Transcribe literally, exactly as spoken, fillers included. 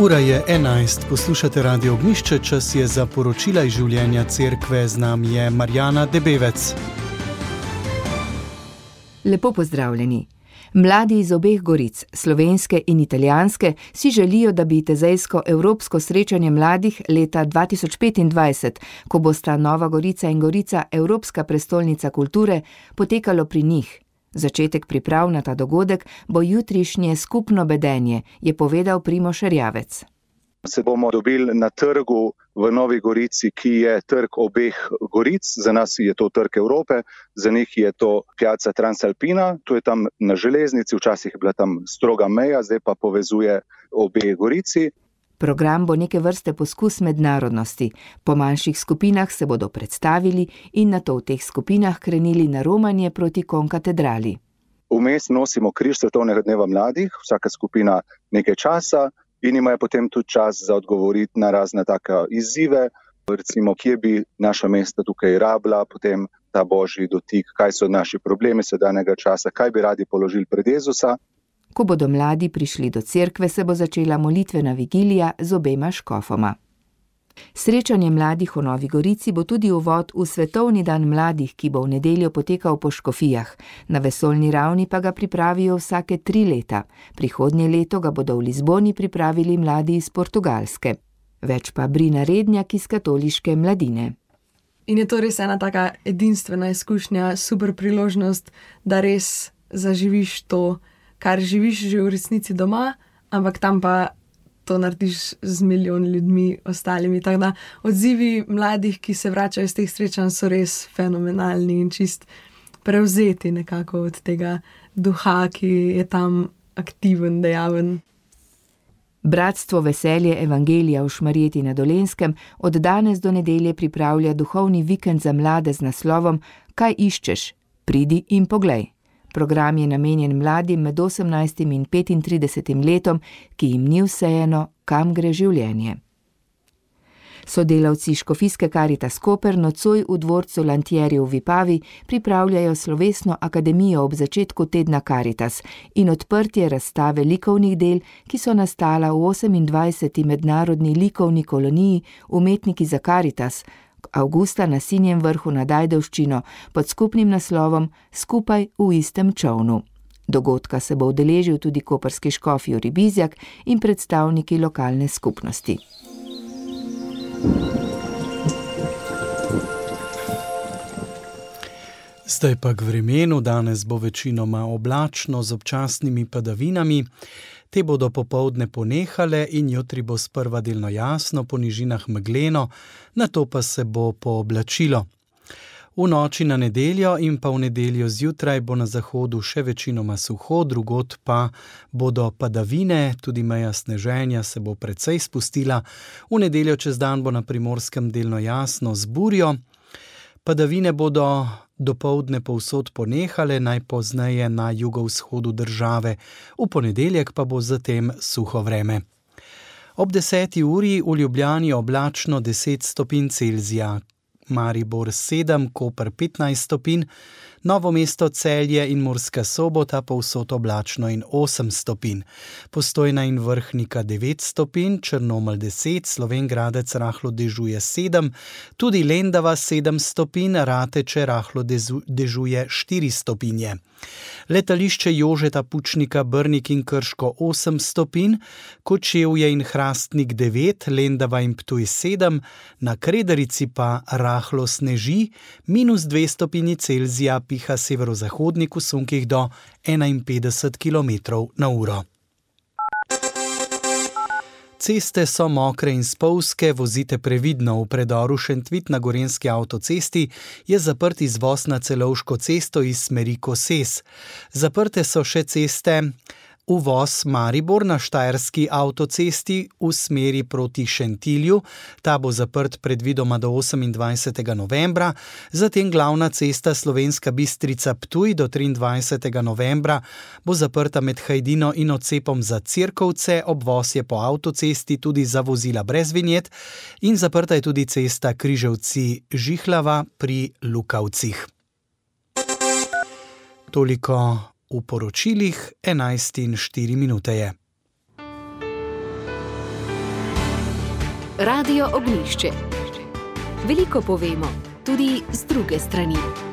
Ura je enajst, poslušate Radio Ognjišče, čas je za poročila iz življenja cerkve, z nami je Marjana Debevec. Lepo pozdravljeni. Mladi iz obeh goric, slovenske in italijanske, si želijo, da bi tezejsko evropsko srečanje mladih leta dva tisoč petindvajset, ko bosta Nova Gorica in Gorica Evropska prestolnica kulture, potekalo pri njih. Začetek priprav na ta dogodek bo jutrišnje skupno bedenje, je povedal Primož Erjavec. Se bomo dobili na trgu v Novi Gorici, ki je trg obeh goric. Za nas je to trg Evrope, za njih je to Piazza Transalpina, to je tam na železnici, včasih je bila tam stroga meja, zdaj pa povezuje obe gorici. Program bo neke vrste poskus mednarodnosti. Po manjših skupinah se bodo predstavili in nato v teh skupinah krenili na romanje proti konkatedrali. Vmes nosimo križ svetovnega dneva mladih, vsaka skupina nekaj časa in imajo potem tudi čas za odgovoriti na razne take izzive. Recimo, kje bi naša mesta tukaj rabila, potem ta božji dotik, kaj so naši problemi sedanjega časa, kaj bi radi položili pred Jezusa. Ko bodo mladi prišli do cerkve, se bo začela molitvena vigilija z obema škofoma. Srečanje mladih v Novi Gorici bo tudi uvod v Svetovni dan mladih, ki bo v nedeljo potekal po škofijah. Na vesoljni ravni pa ga pripravijo vsake tri leta. Prihodnje leto ga bodo v Lizboni pripravili mladi iz Portugalske. Več pa Brina Rednjak iz katoliške mladine. In je to res ena taka edinstvena izkušnja, super priložnost, da res zaživiš to, kar živiš že v resnici doma, ampak tam pa to narediš z milijon ljudmi ostalimi. Tako da odzivi mladih, ki se vračajo iz teh srečanj, so res fenomenalni in čist prevzeti nekako od tega duha, ki je tam aktiven, dejaven. Bratstvo Veselje Evangelija v Šmarjeti na Dolenjskem od danes do nedelje pripravlja duhovni vikend za mlade z naslovom Kaj iščeš? Pridi in poglej. Program je namenjen mladim med osemnajstim in petintridesetim letom, ki jim ni vseeno, kam gre življenje. Sodelavci Škofijske Karitas Koper nocoj v dvorcu Lantieri v Vipavi pripravljajo slovesno akademijo ob začetku tedna Karitas in odprtje razstave likovnih del, ki so nastala v osemindvajseti mednarodni likovni koloniji Umetniki za Karitas, avgusta na Sinjem vrhu nad Ajdovščino pod skupnim naslovom Skupaj v istem čovnu. Dogodka se bo udeležil tudi koprski škof Jurij Bizjak in predstavniki lokalne skupnosti. Zdaj pa k vremenu. Danes bo večinoma oblačno z občasnimi padavinami. Te bodo popoldne ponehale in jutri bo sprva delno jasno, po nižinah megleno, nato pa se bo pooblačilo. V noči na nedeljo in pa v nedeljo zjutraj bo na zahodu še večinoma suho, drugod pa bodo padavine, tudi meja sneženja se bo precej spustila. V nedeljo čez dan bo na Primorskem delno jasno z burjo. Padavine bodo dopoldne povsod ponehale, najpozneje na jugovzhodu države. V ponedeljek pa bo zatem suho vreme. Ob deseti uri v Ljubljani oblačno deset stopinj Celzija, Maribor sedem, Koper petnajst stopinj, Novo mesto, Celje in Murska Sobota povsod oblačno in osem stopinj. Postojna in Vrhnika devet stopinj, Črnomelj deset, Slovenj Gradec rahlo dežuje sedem, tudi Lendava sedem stopinj, Rateče rahlo dezu, dežuje štiri stopinje. Letališče Jožeta Pučnika, Brnik in Krško osem stopinj, Kočevje in Hrastnik devet, Lendava in Ptuj sedem, na Kredarici pa rahlo sneži, minus dve stopinji Celzija, piha severozahodnik v sunkih do enainpetdeset kilometrov na uro. Ceste so mokre in spolzke, vozite previdno. V predoru Šentvit na Gorenjski avtocesti je zaprt izvoz na Celovško cesto iz smeri Koses. Zaprte so še ceste uvoz Maribor na Štajerski avtocesti v smeri proti Šentilju. Ta bo zaprt predvidoma do osemindvajsetega novembra, zatem glavna cesta Slovenska Bistrica Ptuj do triindvajsetega novembra bo zaprta med Hajdino in odcepom za Cirkovce, obvoz je po avtocesti tudi za vozila brez vinjet in zaprta je tudi cesta Križevci Žihlava pri Lukavcih. Toliko v poročilih, enajst in štiri minute je. Radio Ognjišče. Veliko povemo, tudi z druge strani.